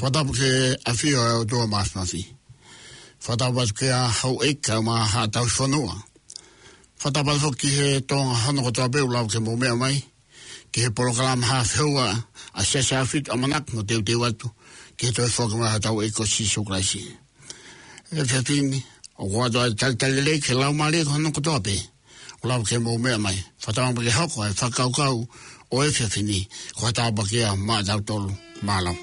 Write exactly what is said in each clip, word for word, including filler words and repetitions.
Fakatapu ki he ʻafio ʻa e ʻOtua Māfimafi. Fakatapu atu ki he houʻeiki kae ʻumaʻā haʻa tauhi fonua. Fakatapu atu foki ki he Tonga hono kotoa pē ʻoku lava ke mou meʻa mai ki he polokalama Haʻa Feua ʻa Siasi ʻAhofitu, ʻamanaki mo teuteu atu ki he toe foki mai hotau ʻEiki ko Sīsū Kalaisi. ʻE fefine, ʻoku ou ʻoatu ʻa e talitali lelei ki he laumālie ko hono kotoa pē ʻoku lava ke mou meʻa mai. Fakatauange pē ke hoko ʻa e fakakaukau ʻo e efiafi ni ko ha tāpuaki ia maʻatautolu. Mālō.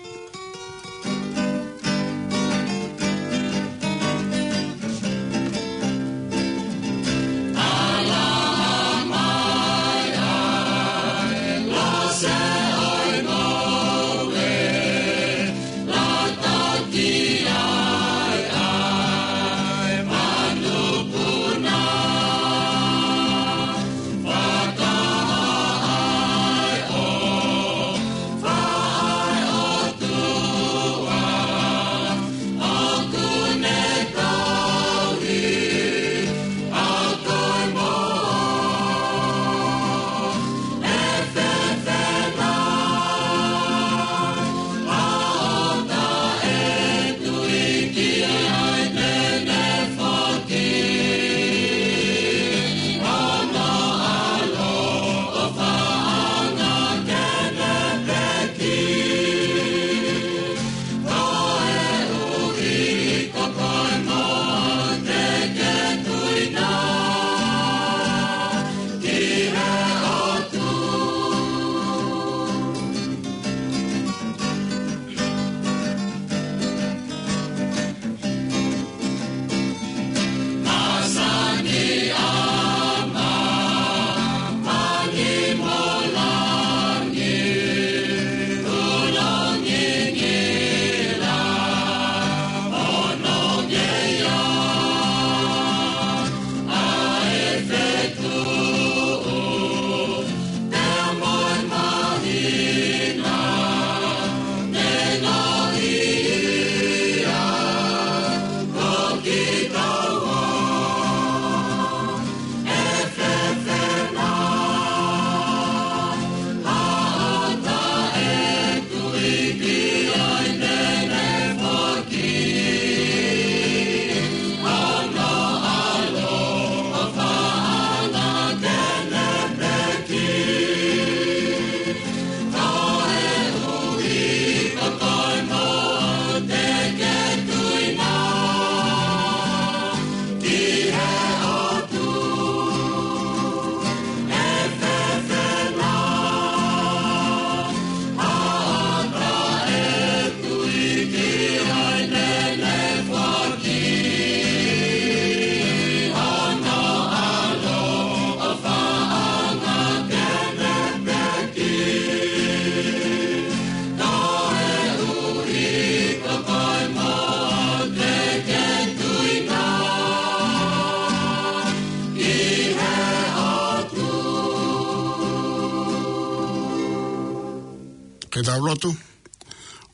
Ke tau lotu.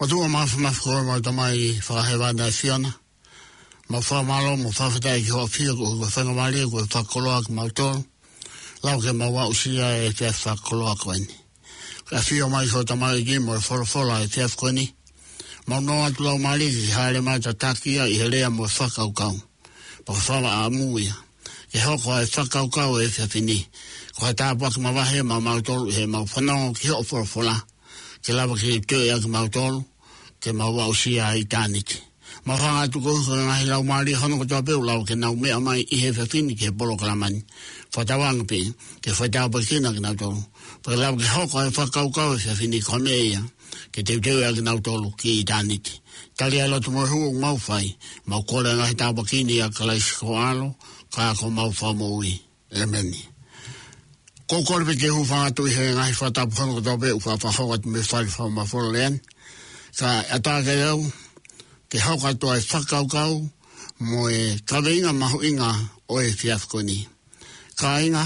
ʻOtua Māfimafi, ko homau Tamai Fakahēvani ʻa e ʻAfiona, mau fakamālō mo fakafetaʻi ki hoʻo ʻafio koeʻuhi ko e faingamālie kuo ke fakakoloa kimautolu. Lava ke mau aʻusia e efiafi fakakoloa ko eni. Ke ʻafio mai ho tamaioʻeiki mo e folofola he efiafi ko eni. Mau nofo atu laumālie ke hāʻele mai ʻo tataki ia ʻi he lea mo e fakakaukau. Pea ko e fakaʻamu ia ke hoko ʻa e fakakaukau ʻo e efiafi ni ko ha tāpuaki mavahe maʻamautolu ʻi heʻemau fanongo ki hoʻo folofola, ke lava ke toe ʻai kimautolu ke mau aʻusia ʻa ʻitāniti. Mau hanga atu koeʻuhi ko e ngaahi laumālie hono kotoa pē ʻoku lava ke nau meʻa mai ʻi he efiafi ni ki he polokalama ni. Fakatauange pē ke fai tāpuekina kinautolu, pea ke lava ke hoko ʻa e fakakaukau ʻo e efiafi ni ko e meʻa ia ke teuteu ʻaki kinautolu ki ʻitāniti. Tali ʻa e lotu mo e hū ʻoku mau fai, mau kole ʻa e ngaahi tāpuaki ni ʻia Kalaisi ko ho ʻAlo, ka ko homau Fakamoʻui. ʻĒmeni. ʻOku ou kole pē ke u hūfanga atu ʻi he ngaahi fakatapu hono kotoa pē ʻoku fakahoko atu mei he fale fakamafola lea ni. Kae ʻatā kiate au ke hoko atu ʻa e fakakaukau mo e kaveinga mahuʻinga ʻo e efiafi ko eni. Kāinga,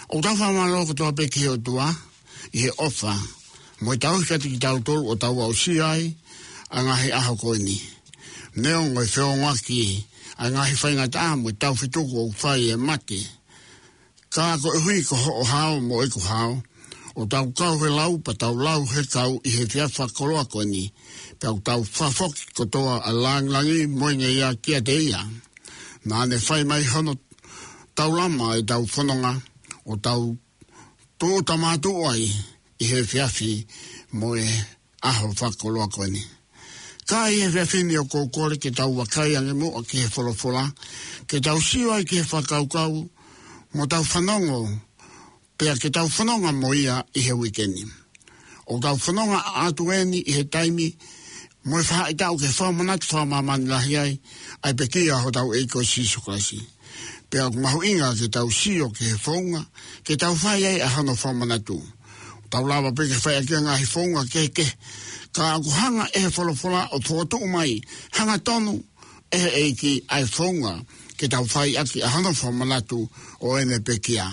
ʻoku tau fakamālō kotoa pē ki he ʻOtua ʻi he ʻofa mo e tauhi kiate kitautolu ʻo tau aʻusia ai ʻa e ngaahi ʻaho ko eni. Neongo e feʻauaki ʻa e ngaahi faingataʻa mo e taufetuku ʻoku fai ʻe mate. Ka koeʻuhi ko hoʻo hao mo ʻeku hao, ʻo tau kau he lau pea tau lau he kau ʻi he efiafi fakakoloa ko eni, pea ʻoku tau fakafoki kotoa ʻa e langilangi mo e ngeia kiate ia. Naʻa ne fai mai hono taulama ʻetau fononga, ʻo tau tūʻuta mātuʻu ai ʻi he efiafi mo e ʻaho fakakoloa ko eni. Ka ʻi he efiafi ni ʻoku ou kole ke tau vakai ange muʻa ki he folofola, ke tau sio ai ki he fakakaukau, mo tau fanongo, pea ke tau fononga mo ia ʻi he uike ni. ʻOku tau fononga atu eni ʻi he taimi mo e faʻahitaʻu ke fakamanatu fakamāmani lahi ai ʻa e pekia ʻa hotau ʻEiki ko Sīsū Kalaisi. Pea ʻoku mahuʻinga ke tau sio ki he founga ke tau fai ai ʻa hono fakamanatu. Tau lava pē ke fai ʻaki ʻa e ngaahi founga kehekehe, ka ʻoku hanga ʻe he folofola ʻo fokotuʻu mai hangatonu ʻe he ʻEiki ʻa e founga ke tau fai ʻaki ʻa hono fakamanatu ʻo ʻene pekia.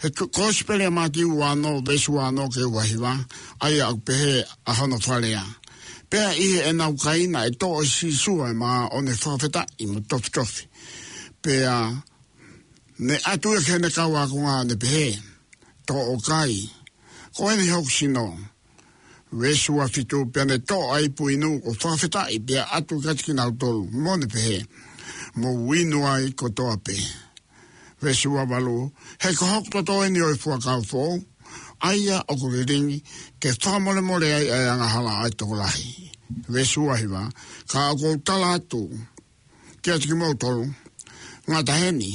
He ko-, Kosipeli ʻa Mātiu ua ono, veesi ua ono ki he ua hiva, ʻa ia ʻoku pehē ʻa hono fakalea: Pea ʻi heʻenau kai naʻe toʻo ʻe Sīsū ʻa e mā ʻo ne fakafetaʻi mo tofitofi. Pea ne ʻatu ia ki heʻene kau ākonga ʻo ne pehē: Toʻo ʻo kai, ko eni hoku sino. Veesi ua fitu: Pea ne toʻo ʻa e ipu inu ʻo fakafetaʻi, pea ʻatu kiate kinautolu, mo ne pehē: Mou inu ai kotoa pē. Veesi ua valu: He ko hoku toto eni ʻo e fuakava foʻou, ʻa ia ʻoku lilingi ke fakamolemole ai ʻa e angahala ʻa e tokolahi. Veesi ua hiva: Ka ʻoku ou tala atu kiate kimoutolu, ngata heni,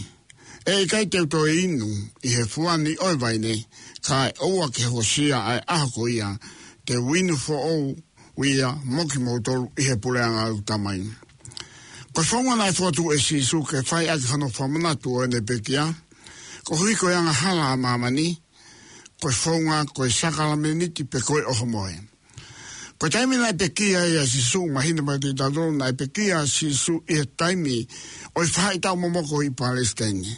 ʻe ʻikai te u toe inu ʻi he fua ni ʻo e vaine, kae ʻoua ke hokosia ʻa e ʻaho ko ia te u inu foʻou ia mo kimoutolu ʻi he puleʻanga ʻo ʻeku Tamai. Ko e founga naʻe fokotuʻu ʻe Sīsū ke fai ʻaki hono fakamanatu ʻo ʻene pekia, koeʻuhi ko e angahala ʻa māmani, ko e founga ko e sākalamēniti pe ko e ʻohomohe. Ko e taimi naʻe pekia ai ʻa Sīsū, mahino mai kiate kitautolu naʻe pekia ʻa Sīsū ʻi he taimi ʻo e faʻahitaʻu momoko ʻi Palesitaine,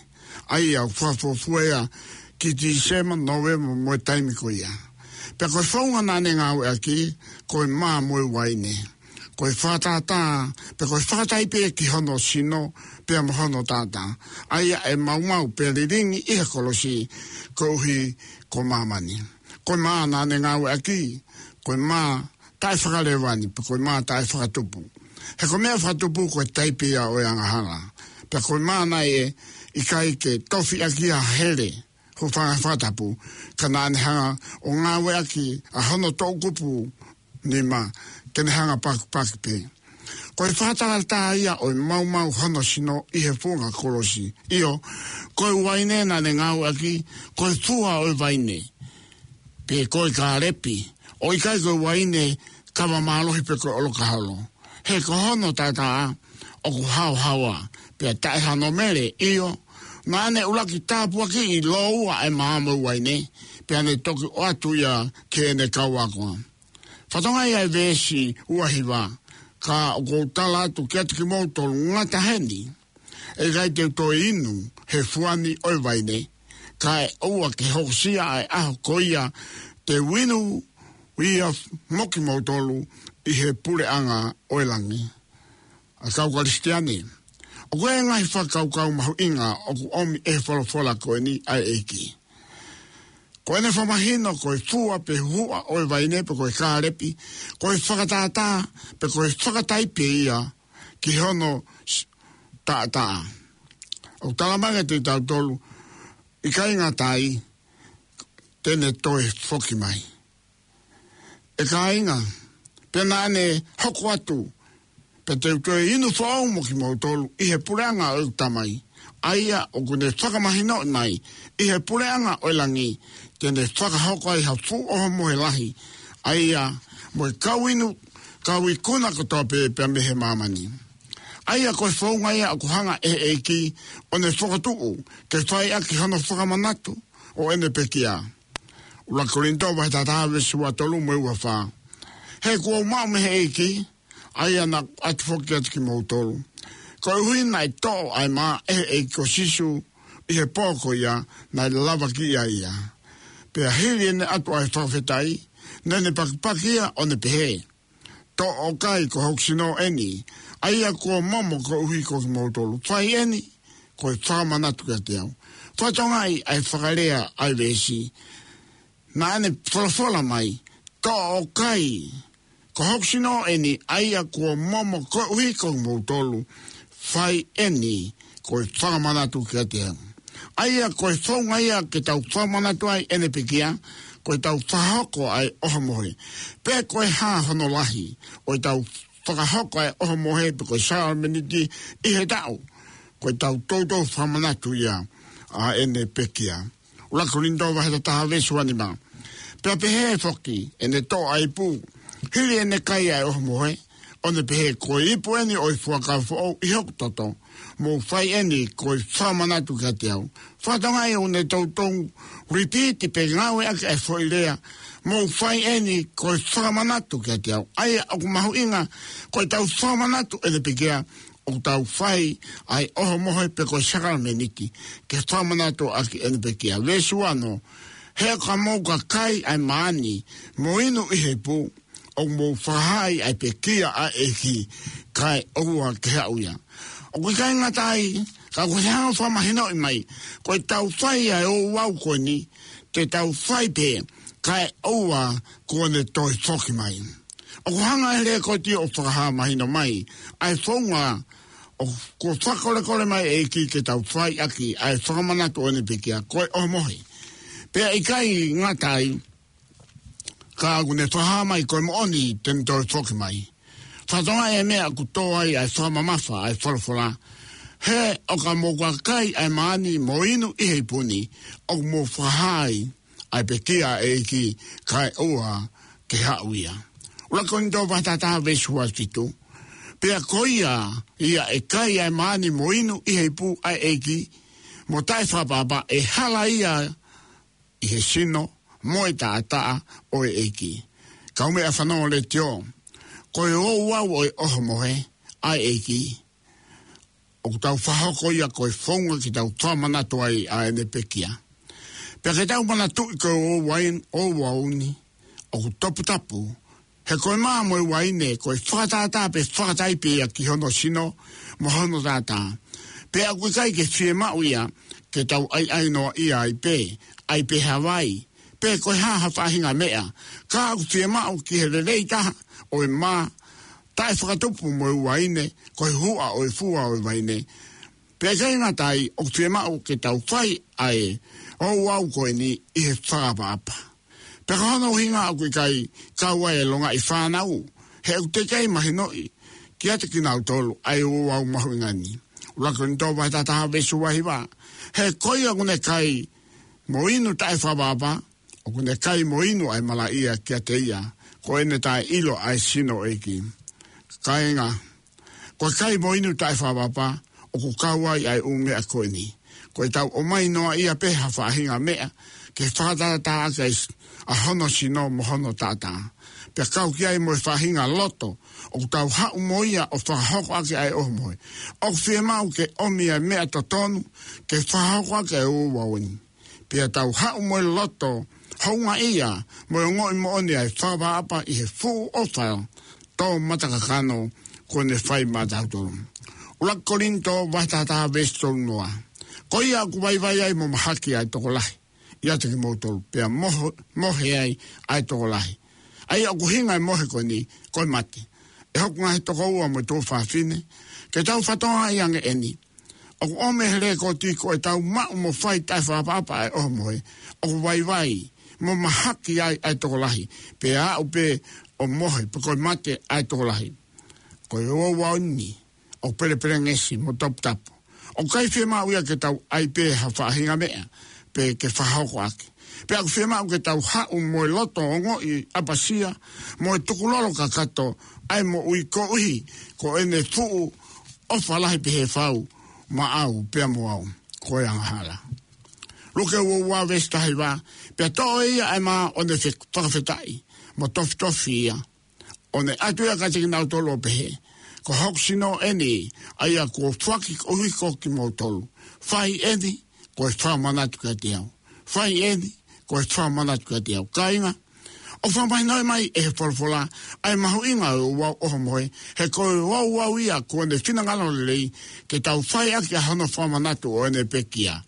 ʻa ia ʻoku fakafuofua ia ki Tīsema, Nōvema mo e taimi ko ia. Pea ko e founga naʻa ne ngāueʻaki, ko e mā mo e uaine. Ko e fakatātā, pe ko e fakataipe ki hono sino, pea mo hono taʻataʻa, ʻa ia ʻe maumau pea lilingi ʻi he kolosi, koeʻuhi ko māmani. Ko e mā naʻa ne ngāueʻaki, ko e mā taʻefakalevani, pe ko e mā taʻefakatupu. He ko e meʻa fakatupu ko e taipe ia ʻo e angahala. Pea ko e mā naʻe ʻikai ke tofiʻaki ʻa e hele, hūfanga he fakatapu, ka naʻa ne hanga ʻo ngāueʻaki ʻa hono toʻukupu nima ke ne hanga ʻo pakipaki pē. Ko e fakatātā ia ʻo e maumau hono sino ʻi he funga kolosi. ʻIo, ko e uaine naʻa ne ngāueʻaki, ko e fua ʻo e vaine, pe ko e kālepi, ʻo ʻikai ko e uaine kava mālohi pe ko e ʻolokaholo. He ko hono taʻataʻa ʻoku haohaoa, pea taʻe hano mele, ʻio, naʻa ne ʻuluaki tāpuakiʻi lōua ʻa e mā mo e uaine, pea ne toki ʻoatu ia ki heʻene kau ākonga. Fakatokangaʻi ʻa e veesi ua hiva: Ka ʻoku ou tala atu kiate kimoutolu, ngata heni, ʻe ʻikai te u toe inu he fua ni ʻo e vaine, kae ʻoua ke hokosia ʻa e ʻaho ko ia te u inu ia mo kimoutolu ʻi he puleʻanga ʻo e langi. ʻA e kau Kalisitiane, ʻoku ʻi ai e ngaahi fakakaukau mahuʻinga ʻoku ʻomi ʻe he folofola ko eni ʻa e ʻEiki. Ko ʻene fakamahino ko e fua pe huhuʻa ʻo e vaine pe ko e kālepi, ko e fakatātā pe ko e fakataipe ia ki hono s-, taʻataʻa. ʻOku talamai kiate kitautolu, ʻikai ngata ai, te ne toe foki mai. ʻE kāinga, pea naʻa ne hoko atu, pea te u toe inu foʻou mo kimoutolu ʻi he puleʻanga ʻo ʻeku Tamai, ʻa ia ʻoku ne fakamahinoʻi mai ʻi he puleʻanga ʻo e langi, te ne fakahoko ai ha fuʻu ʻohomohe lahi, ʻa ia mo e kau inu, kau ikuna kotoa pē pea mei he māmani. ʻA ia ko e founga ia ʻoku hanga ʻe he ʻEiki ʻo ne fokotuʻu ke fai ʻaki hono fakamanatu ʻo ʻene pekia. ʻUluaki Kolinitō vahe taha taha veesi ua tolu mo e ua fā: He kuo u maʻu mei he ʻEiki, ʻa ia naʻa ku ʻatu foki kiate kimoutolu, koeʻuhi naʻe toʻo ʻa e mā ʻe he ʻEiki ko Sīsū ʻi he pō ko ia naʻe lavakiʻi ai ia. Pea hili ʻene ʻatu ʻa e fakafetaʻi, naʻa ne pakipaki ia ʻo ne pehē: Toʻo ʻo kai, ko hoku sino ʻeni, ʻa ia kuo momo koeʻuhi ko kimoutolu. Fai ʻeni ko e fakamanatu kiate au. Fakatokangaʻi ʻa e fakalea ʻa e veesi. Naʻa ne folofola mai, toʻo ʻo kai, ko hoku sino ʻeni, ʻa ia kuo momo koeʻuhi ko kimoutolu. Fai ʻeni ko e fakamanatu kiate au. ʻA ia ko e founga ia ke tau fakamanatu ai ʻene pekia, ko ʻetau fakahoko ʻa e ʻohomohe. Pe ko e hā hono lahi ʻo ʻetau fakahoko ʻa e ʻohomohe pe ko e sakalameniti ʻi he taʻu, ko ʻetau toutou fakamanatu ia ʻa ʻene pekia. ʻUluaki Kolinitō vahe taha taha veesi ua nima. Pea pehē foki ʻene toʻo ʻa e ipu, hili ʻene kai ʻa e ʻohomohe, ʻo ne pehē, ko e ipu ʻeni ʻo e fuakava foʻou ʻi hoku toto, mou fai ʻeni ko e fakamanatu kiate au. Fakatokangaʻi ʻoku ne toutou repeat pe ngāueʻaki ʻa e foʻi lea, mou fai ʻeni ko e fakamanatu kiate au. ʻA ia ʻoku mahuʻinga, ko ʻetau fakamanatu ʻene pekia, ʻoku tau fai ʻa e ʻohomohe pe ko e sakalameniti ke fakamanatu ʻaki ʻene pekia. Veesi ua ono, he ka mou ka kai ʻa e maani mo inu ʻi he ipu, ʻoku mou fakahā ai ʻa e pekia ʻa e ʻEiki, kae ʻoua ke haʻu ia. ʻOku ʻikai ngata ai, ka ʻoku hanga ʻo fakamahinoʻi mai, ko ʻetau fai ʻa e ouau ko eni, te tau fai pē, kae ʻoua kuo ne toe foki mai. ʻOku hanga ʻe he lekooti ʻo fakahā mahino mai ʻa e founga ʻoku fakakolekole mai ʻe he ʻEiki ke tau fai ʻaki ʻa e fakamanatu ʻo ʻene pekia, ko e ʻohomohe. Pea ʻikai ngata ai, ka ʻoku ne fakahā mai ko e moʻoni te ne toe foki mai. Fakatokangaʻi e meʻa ʻoku tō ai ʻa e fakamamafa ʻa e folofola. He ʻo ka mou ka kai ʻa e maani mo inu ʻi he ipu ni, ʻoku mou fakahā ai ʻa e pekia ʻa e ʻEiki, kae ʻoua ke haʻu ia. ʻUluaki Kolinitō vahe taha taha veesi ua fitu. Pea ko ia ia ʻe kai ʻa e maani mo inu ʻi he ipu ʻa e ʻEiki, mo taʻefakaʻapaʻapa, ʻe hala ia ʻi he sino mo e taʻataʻa ʻo e ʻEiki. Kau meʻa fanongo letiō, ko e ouau ʻo e ʻohomohe ʻa e ʻEiki, ʻoku tau fakahoko ia ko e founga ke tau fakamanatu ai ʻa ʻene pekia. Pea ke tau manatuʻi ko e ouau ni, ouau ni ʻoku toputapu, he ko e mā mo e uaine ko e fakatātā pe fakataipe ia ki hono sino mo hono taʻataʻa. Pea ʻoku ʻikai ke fiemaʻu ia ke tau ʻaiʻai noa ia ai pē, ʻai pē ha vai, pe ko e hā ha faʻahinga meʻa, ka ʻoku fiemaʻu ki he lelei taha ʻo e mā, taʻefakatupu mo e uaine, ko e huʻa ʻo e fua ʻo e vaine. Pea ʻikai ngata ai, ʻoku fiemaʻu ke tau fai ʻa e ouau ko eni ʻi he fakaʻapaʻapa. Pea ko hono ʻuhinga ʻoku ʻikai kau ai e longaʻi fānau, he ʻoku teʻeki ai mahinoʻi kiate kinautolu ʻa e ouau mahuʻinga ni. ʻUluaki Kolinitō vahe taha taha veesi ua hiva. He ko ia ʻoku ne kai mo inu taʻefakaʻapaʻapa, ʻoku ne kai mo inu ʻa e malaʻia kiate ia, ko ʻene taʻeʻilo ʻa e sino ʻo e ʻEiki. Kāinga, ko e kai mo inu taʻefakaʻapaʻapa, ʻoku kau ai ʻa e ʻū meʻa ko eni. Ko ʻetau ʻomai noa ia pē ha faʻahinga meʻa ke fakatātā ʻaki ʻa hono sino mo hono taʻataʻa. Pea kau ki ai mo e faʻahinga loto ʻoku tau haʻu mo ia ʻo fakahoko ʻaki ʻa e ʻohomohe. ʻOku fiemaʻu ke ʻomi ʻa e meʻa totonu ke fakahoko ʻaki ʻa e ouau ni. Pea tau haʻu mo e loto houngaʻia mo e ongoʻi moʻoni ʻa e fakaʻapaʻapa ʻi he fuʻu ʻofa tō matakakano kuo ne fai maʻatautolu. ʻUluaki Kolinitō vahe taha taha veesi tolu noa. Ko ia ʻoku vaivai ai mo mahaki ʻa e tokolahi ʻiate kimoutolu, pea moho-, mohe ai ʻa e tokolahi. ʻA ia ʻoku ʻuhinga e mohe ko eni, ko e mate. ʻE hoku ngaahi tokoua mo e tuofāfine, ke tau fakatokangaʻi ange ʻeni. ʻOku ʻomi ʻe he lekooti ko ʻetau maʻu mo fai taʻefakaʻapaʻapa ʻa e ʻohomohe, ʻoku vaivai mo mahaki ai ʻa e tokolahi, pea aʻu pē ʻo mohe pe ko e mate ʻa e tokolahi. Ko e ouau ni ʻoku pelepelengesi mo toputapu. ʻOku ʻikai fiemaʻu ia ke tau ʻai pē ha faʻahinga meʻa pe ke fakahoko ʻaki. Pea ʻoku fiemaʻu ke tau haʻu mo e loto ongoʻi ʻapasia mo e tukulolo kakato ʻa e moʻui koeʻuhi ko ʻene fuʻu ʻofa lahi pehē fau maʻau pea mo au, ko e angahala. Luke ua ua veesi taha hiva. Pea toʻo ʻe ia ʻa e mā ʻo ne fe-, fakafetaʻi mo tofitofi ia, ʻo ne ʻatu ia kiate kinautolu ʻo pehē, ko hoku sino ʻeni, ʻa ia kuo foaki koeʻuhi ko kimoutolu. Fai ʻeni ko e fakamanatu kiate au. Fai ʻeni ko e fakamanatu kiate au. Kāinga, ʻOku fakamahinoʻi mai ʻe he folofola ʻa e mahuʻinga ʻo e ouau ʻo hoʻo mohe, he ko e ouau ia ko ʻene finangalo lelei ke tau fai ʻaki ʻa hono fakamanatu ʻo ʻene pekia.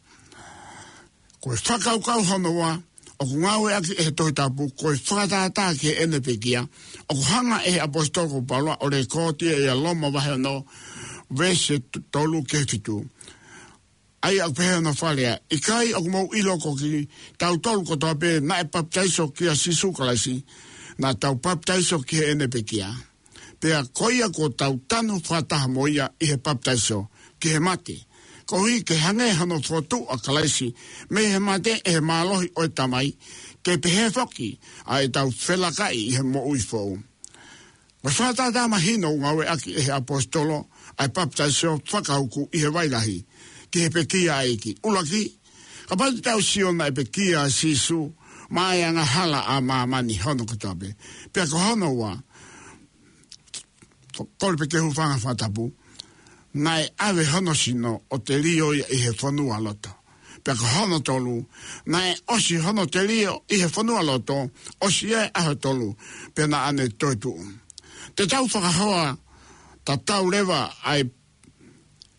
Ko e fakakaukau hono ua ʻoku ngāueʻaki ʻe he Tohi Tapu ko e fakatātā ki heʻene pekia, ʻoku hanga ʻe he ʻaposetolo ko Paula ʻo lekooti ia ʻia Loma vahe ono, veesi tolu ki he fitu. ʻA ia ʻoku pehē hono fakalea: ʻIkai ʻoku mou ʻilo ko kitautolu kotoa pē naʻe papitaiso kia Sīsū Kalaisi, naʻa tau papitaiso ki heʻene pekia? Pea ko ia kuo tau tanu fakataha mo ia ʻi he papitaiso ki he mate, koeʻuhi ke hangē hono fokotuʻu ʻa Kalaisi mei he mate ʻe he mālohi ʻo e Tamai, ke pehē foki ʻa ʻetau felakaʻi ʻi he moʻui foʻou. Ko e fakatātā mahino ʻoku ngāueʻaki ʻe he ʻaposetolo ʻa e papitaiso fakauku ʻi he vai lahi ki he pekia ʻa e ʻEiki. ʻUluaki, kapau te tau sio naʻe pekia ʻa Sīsū maʻa e angahala ʻa māmani hono kotoa pē. Pea ko hono ua, kole pē ke u hūfanga he fakatapu, naʻe ʻave hono sino ʻo telio ia ʻi he fonualoto. Pea ko hono tolu, naʻe ʻosi hono telio ʻi he fonualoto, ʻosi ʻa e ʻaho tolu, pea naʻa ne toetuʻu. Te tau fakahoa tatau leva ʻa e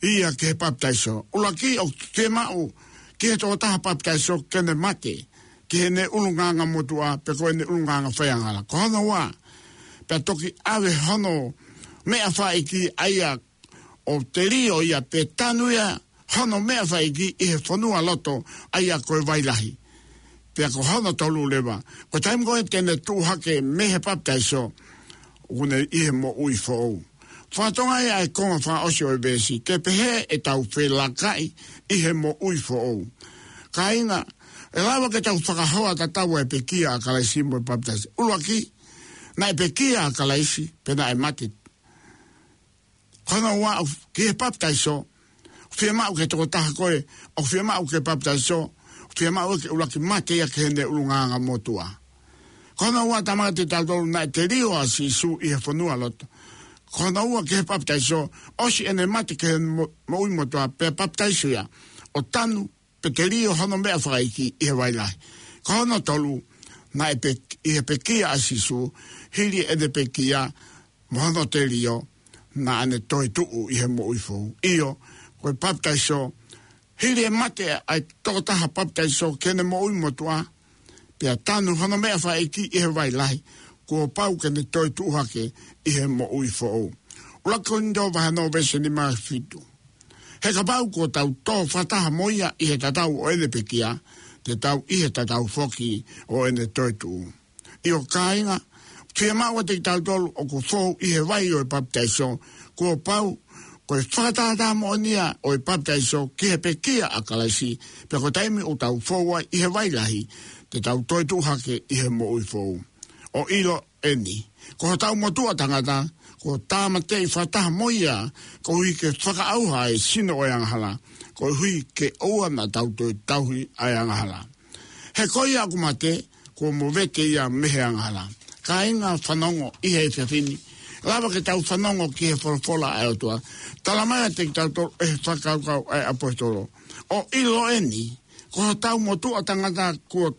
ia ki he papitaiso. ʻUluaki, ʻoku fiemaʻu ki he tokotaha papitaiso ke ne mate ki heʻene ʻulungaanga motuʻa pe ko ʻene ʻulungaanga faiangahala. Ko hono ua, pea toki ʻave hono meʻa fakaʻeiki ʻa ia ʻo telio ia pe tanu ia hono meʻa fakaʻeiki ʻi he fonualoto ʻa ia ko e vai lahi. Pea ko hono tolu leva, ko e taimi ko ē te ne tuʻu hake mei he papitaiso, ʻoku ne ʻi he moʻui foʻou. Fakatonga ia ʻa e konga fakaʻosi ʻo e veesi, ke pehē ʻetau felakaʻi ʻi he moʻui foʻou. Kāinga, ʻe lava ke tau fakahoa tatau ʻa e pekia ʻa Kalaisi mo e papitaiso. ʻUluaki, naʻe pekia ʻa Kalaisi, pea naʻe mate. Ko hono ua, ʻoku, ki he papitaiso, ʻoku fiemaʻu ke tokotaha ko ē ʻoku fiemaʻu ke papitaiso, ʻoku fiemaʻu ke ʻuluaki mate ia ki heʻene ʻulungaanga motuʻa. Ko hono ua, tala mai kiate kitautolu naʻe telio ʻa Sīsū ʻi he fonualoto. Ko hono ua, ki he papitaiso, ʻosi ʻene mate ki he mo-, moʻui motuʻa, pea papitaiso ia ʻo tanu pe telio hono meʻa fakaʻeiki ʻi he vai lahi. Ko hono tolu, naʻe pe-, ʻi he pekia ʻa Sīsū, hili ʻene pekia mo hono telio, naʻa ne toetuʻu ʻi he moʻui foʻou. ʻIo, ko e papitaiso, hili e mate ʻa e tokotaha papitaiso ki heʻene moʻui motuʻa, pea tanu hono meʻa fakaʻeiki ʻi he vai lahi, kuo pau ke ne toetuʻu hake ʻi he moʻui foʻou. ʻUluaki Kolinitō vahe ono veesi nima fitu. He kapau kuo tau tō fakataha mo ia ʻi he tatau ʻo ʻene pekia, te tau ʻi he tatau foki ʻo ʻene toetuʻu. ʻIo kāinga, fiemaʻu ʻiate kitautolu ʻoku fou ʻi he vai ʻo e papitaiso, kuo pau, ko e fakatātā moʻoni ia ʻo e papitaiso ki he pekia ʻa Kalaisi, pea ko e taimi ʻoku tau fou ai ʻi he vai lahi, te tau toetuʻu hake ʻi he moʻui foʻou. ʻO ʻilo eni, ko hotau motuʻa tangata, kuo tāmateʻi fakataha mo ia, koeʻuhi ke fakaʻauha ʻa e sino ʻo e angahala, koeʻuhi ke ʻoua naʻa tau toe tauhi ʻa e angahala. He ko ia ʻoku mate, kuo movete ia mei he angahala. Kāinga, fanongo ʻi he efiafi ni, lava ke tau fanongo ki he folofola ʻa e ʻOtua. Tala mai kiate kitautolu ʻe he fakakaukau ʻa e ʻaposetolo. ʻO ʻilo eni, ko hotau motuʻa tangata kuo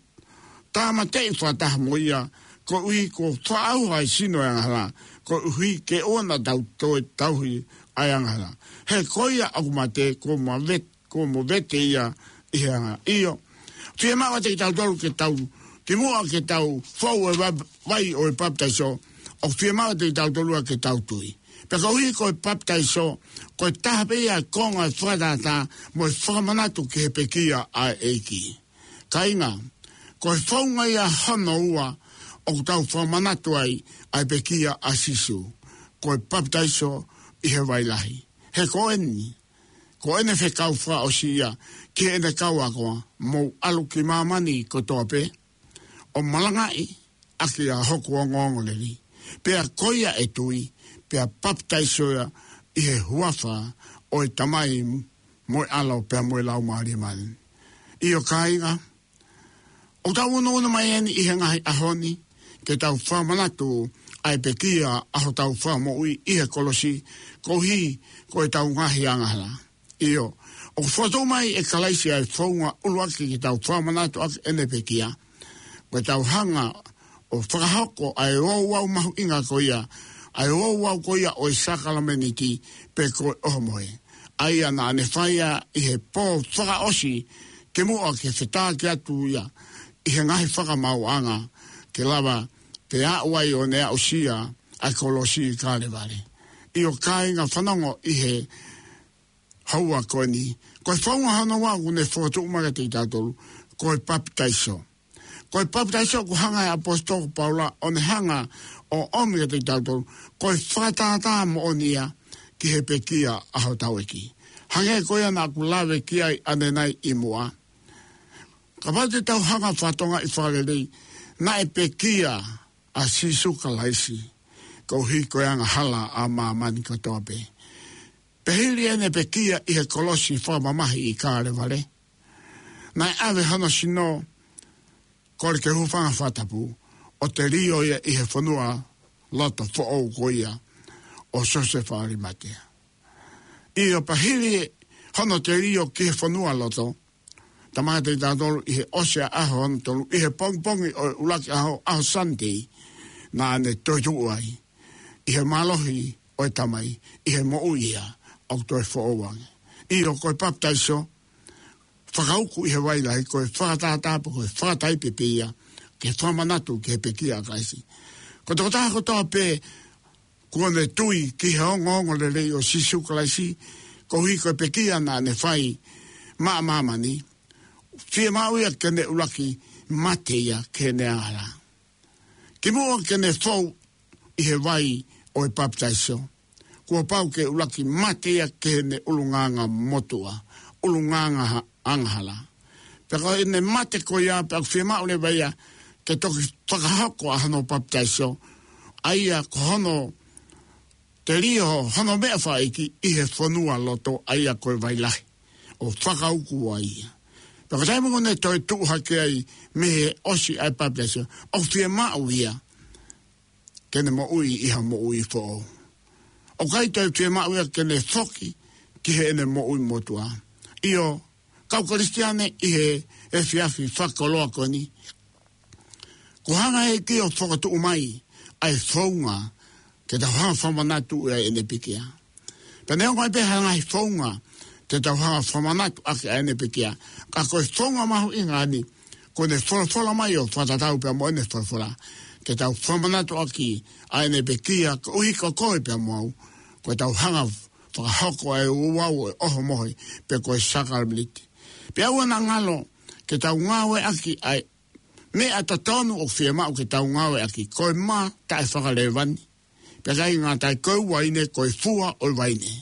tāmateʻi fakataha mo ia, koeʻuhi kuo fakaʻauha ʻa e sino ʻo e angahala, koeʻuhi ke ʻoua naʻa tau toe tauhi ʻa e angahala. He ko ia ʻoku mate, kuo move-, kuo movete ia ʻi he angahala. ʻIo, fiemaʻu ʻiate kitautolu ke tau, kimuʻa ke tau fou ʻi he va-, vai ʻo e papitaiso, ʻoku fiemaʻu ʻiate kitautolu ia ke tau tui. Pea koeʻuhi ko e papitaiso, ko e taha pē ia e konga ʻo e fakatātā mo e fakamanatu ki he pekia ʻa e ʻEiki. Kāinga, ko e founga ia hono ua ʻoku tau fakamanatu ai ʻa e pekia ʻa Sīsū, ko e papitaiso ʻi he vai lahi. He ko eni, ko ʻene fekau fakaʻosi ia ki heʻene kau ako, mou ʻalu ki māmani kotoa pē, ʻo malangaʻi ʻaki ʻa hoku ongoongolelei. Pea ko ia ʻe tui, pea papitaiso ia ʻi he huafa ʻo e Tamai mo e ʻAlo pea mo e Laumālie Māʻoniʻoni. ʻIo kāinga, ʻoku tau unuunu mai eni ʻi he ngaahi ʻaho ni, ke tau fakamanatu ʻa e pekia ʻa hotau Fakamoʻui ʻi he kolosi, koeʻuhi ko ʻetau ngaahi angahala. ʻIo, ʻoku fokotuʻu mai ʻe Kalaisi ʻa e founga ʻuluaki ke tau fakamanatu ʻaki ʻene pekia. Ko ʻetau hanga ʻo fakahoko ʻa e ouau mahuʻinga ko ia, ʻa e ouau ko ia ʻo e sākalamēniti pe ko e ʻohomohe. ʻA ia naʻa ne fai ia ʻi he pō fakaʻosi kimuʻa ke fetāki atu ia ʻi he ngaahi fakamaauʻanga ke lava pē ʻo aʻu ai ʻo ne aʻusia ʻa e kolosi ʻi Kalevale. ʻIo kāinga, fanongo ʻi he houa ko eni. Ko e founga hono ua ʻoku ne fokotuʻu mai kiate kitautolu, ko e papitaiso. Ko e papitaiso ʻoku hanga ʻe he ʻaposetolo ko Paula ʻo ne hanga ʻo ʻomi kiate kitautolu, ko e fakatātā moʻoni ia ki he pekia ʻa hotau ʻEiki. Hangē ko ia naʻa ku lave ki ai ʻanenai ʻi muʻa. Kapau te tau hanga ʻo fakatokangaʻi fakalelei, naʻe pekia ʻa Sīsū Kalaisi koeʻuhi ko e angahala ʻa māmani kotoa pē. Pea hili ʻene pekia ʻi he kolosi fakamamahi ʻi Kalevale, naʻe ʻave hono sino, kole ke hūfanga he fakatapu, ʻo telio ia ʻi he fonualoto foʻou ko ia ʻo Siosefa ʻAlimatea. ʻIo, pea hili hono telio ki he fonualoto, tala mai kiate kitautolu ʻi he ʻosi ʻa e ʻaho hono tolu, ʻi he pongipongi ʻo e ʻuluaki ʻaho, ʻaho Sunday, naʻa ne toetuʻu ai ʻi he mālohi ʻo e Tamai, ʻi he moʻui ia ʻoku toe foʻou ange. ʻIo, ko e papitaiso, fakauku ʻi he vai lahi, ko e fakatātā pe ko e fakataipe pē ia ki he fakamanatu ki he pekia ʻa Kalaisi. Ko e tokotaha kotoa pē kuo ne tui ki he ongoongolelei ʻo Sīsū Kalaisi, koeʻuhi ko e pekia naʻa ne fai maʻa māmani, fiemaʻu ia ke ne ʻuluaki mate ia ki heʻene angahala. Kimuʻa ke ne fou ʻi he vai ʻo e papitaiso, kuo pau ke ʻuluaki mate ia ki heʻene ʻulungaanga motuʻa, ʻulungaanga ha-, angahala. Pea ko ʻene mate ko ia, pea ʻoku fiemaʻu leva ia ke toki fakahoko ʻa hono papitaiso, ʻa ia ko hono telio hono meʻa fakaʻeiki ʻi he fonualoto, ʻa ia ko e vai lahi, ʻo fakauku ai ia. Pea ko e taimi ʻoku ne toetuʻu hake ai mei he ʻosi ʻa e papitaiso, ʻoku fiemaʻu ia ke ne moʻui ʻi ha moʻui foʻou. ʻOku ʻikai toe fiemaʻu ia ke ne foki ki heʻene moʻui motuʻa. ʻIo, kau Kalisitiane, ʻi he efiafi fakakoloa ko eni, kuo hanga ʻe he ʻEiki ʻo fokotuʻu mai ʻa e founga ke tau hanga ʻo fakamanatu ai ʻene pekia. Pea neongo ai pē ha ngaahi founga te tau hanga ʻo fakamanatu ʻaki ʻa ʻene pekia, ka ko e founga mahuʻinga eni, kuo ne folofola mai ʻo fakatatau pea mo ʻene folofola, ke tau fakamanatu ʻaki ʻa ʻene pekia, koeʻuhi ko koe pea mo au, ko ʻetau hanga ʻo fakahoko ʻa e ouau ʻo e ʻohomohe pe ko e sākalamēniti. Pea ʻoua naʻa ngalo ke tau ngāueʻaki ʻa e meʻa totonu ʻoku fiemaʻu ke tau ngāueʻaki, ko e mā taʻefakalēvani. Pea ʻikai ngata ai, ko e uaine, ko e fua ʻo e uaine.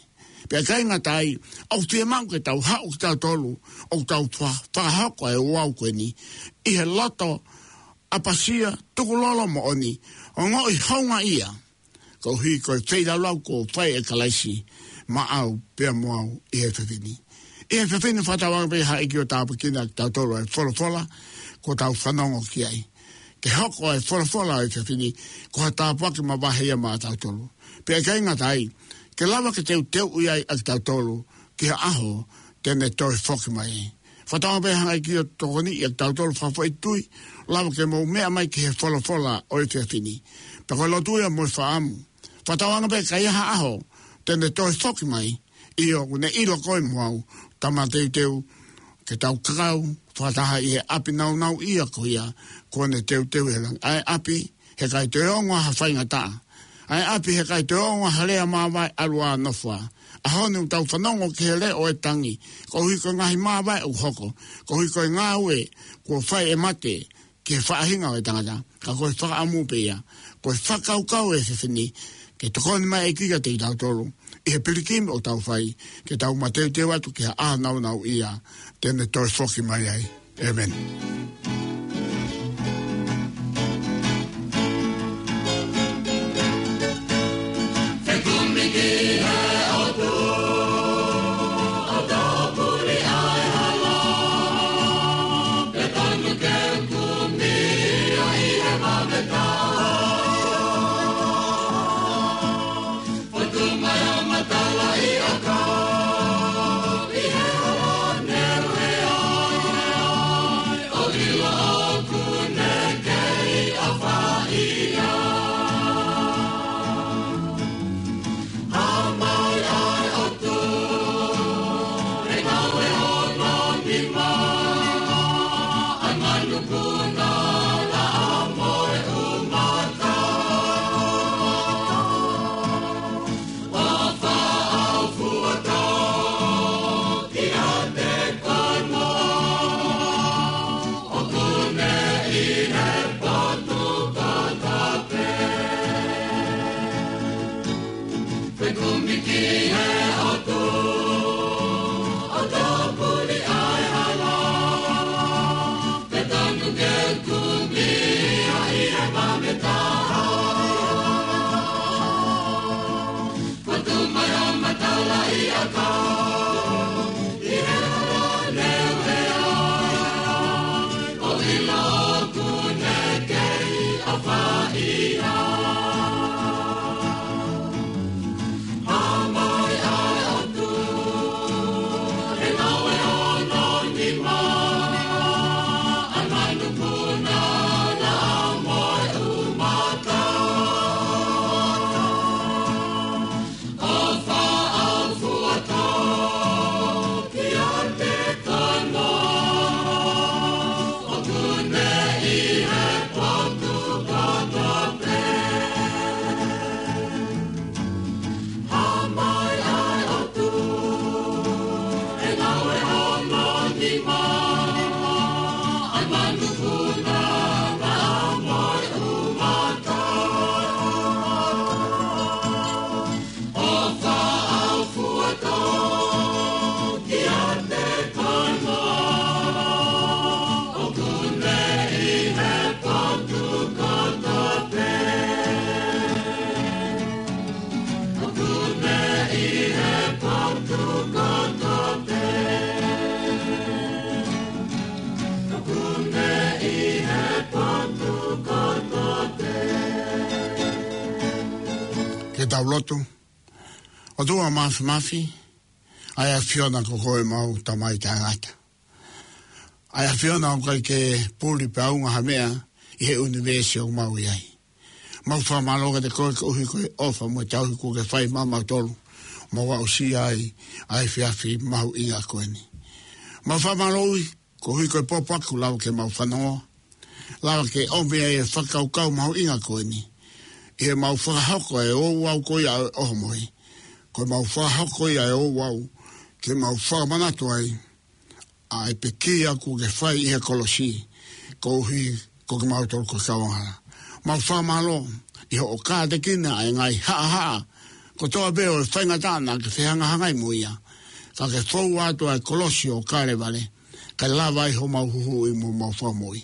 Pea ʻikai ngata ai, ʻoku fiemaʻu ke tau haʻu kitautolu, ʻo tau fa-, fakahoko ʻa e ouau ko eni ʻi he loto ʻapasia, tukulolo moʻoni, ongoʻi houngaʻia, koeʻuhi ko e feilaulau kuo fai ʻe Kalaisi maʻau pea mo au ʻi he efiafi ni. ʻI he efiafi ni, fakatauange pē ha ʻEiki ʻo tāpuekina kitautolu ʻe he folofola kuo tau fanongo ki ai. Ke hoko ʻa e folofola ʻo e efiafi ni ko ha tāpuaki mavahe ia maʻatautolu. Pea ʻikai ngata ai, ke lava ke teuteuʻi ai ʻa kitautolu ki ha ʻaho te ne toe foki mai. Fakatauange pē ha ʻEiki ʻo tokoniʻi ʻa kitautolu fakafoʻituitui, lava ke mou meʻa mai ki he folofola ʻo e efiafi ni. Pea ko e lotu ia mo e fakaʻamu. Fakatauange pē ka ʻi ai ha ʻaho te ne toe foki mai, ʻio, ʻoku ne ʻilo koe mo au, tau mateuteu ke tau kakau fakataha ʻi he ʻapi nāunauʻia ko ia kuo ne teuteu ʻe he langi. ʻA e ʻapi he ʻikai toe ongo ha faingataʻa. ʻA e ʻapi he ʻikai toe ongo ha lea māvae ʻalu ʻo nofo ai. ʻAho ni ʻoku tau fanongo ki he leʻo ʻo e tangi, koeʻuhi ko e ngaahi māvae ʻoku hoko, koeʻuhi ko e ngāue kuo fai ʻe mate ki he faʻahinga ʻo e tangata. Ka ko e fakaʻamu pē ia, ko e fakakaukau ʻo e efiafi ni, ke tokoni mai ʻEiki kiate kitautolu ʻi he pilikimi ʻoku tau fai, ke tau mateuteu atu ki he ʻaho nāunauʻia te ne toe foki mai ai. ʻĒmeni. Ke tau lotu. ʻOtua Māfimafi, ʻa e ʻAfiona ko koe ʻemau Tamai taʻengata. ʻA e ʻAfiona ʻoku ʻikai ke puli pe ʻaonga ha meʻa ʻi he ʻunivēsi ʻoku mau ʻi ai. Mau fakamālō kiate koe koeʻuhi ko e ʻofa mo e tauhi kuo ke fai maʻamautolu. Mau aʻusia ai ʻa e efiafi mahuʻinga ko eni. Mau fakamālō koeʻuhi ko e pōpoaki kuo lava ke mau fanongo. Lava ke ʻomi ai e fakakaukau mahuʻinga ko eni ʻi heʻemau fakahoko e ouau ko ia ʻo e ʻohomohe. Ko ʻemau fakahoko ia e ouau ke mau fakamanatu ai ʻa e pekia kuo ke fai ʻi he kolosi, koeʻuhi ko kimautolu ko e kau angahala. Mau fakamālō ʻi hoʻo kātekina ʻa e ngaahi haʻahaʻa kotoa pē ʻo e faingataʻa naʻa ke fehangahangai mo ia, ka ke fou atu ʻa e kolosi ʻo Kalevale, kae lava ai homau huhuʻi mo homau fakamoʻui.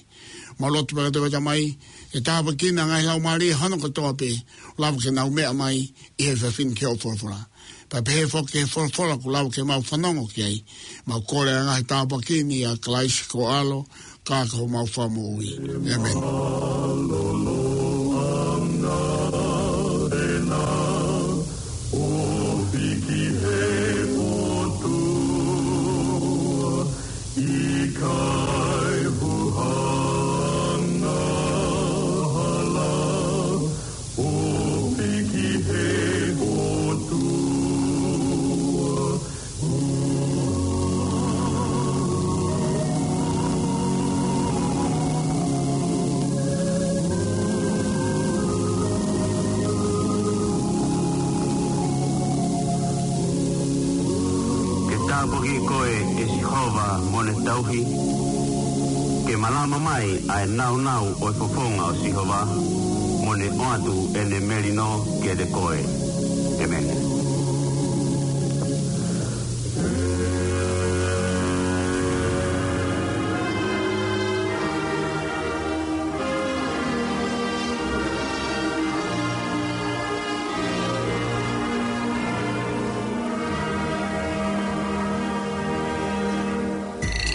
Mau lotu pē kiate koe Tamai, ke tāpuekina ngaahi laumālie hono kotoa pē, lava ke nau meʻa mai ʻi he efiafi ni ki hoʻo folofola. Pea pehē foki ki he folofola kuo lava ke mau fanongo ki ai. Mau kole ʻa e ngaahi tāpuaki ni ʻia Kalaisi ko ho ʻAlo, ka ko homau Fakamoʻui. ʻĒmeni. Ke tāpuaki koe ʻe Sihova mo ne tauhi, ke malama mai ʻa e nāunau ʻo e fofonga ʻo Sihova, mo ne ʻoatu ʻene melino kiate koe. ʻĒmeni.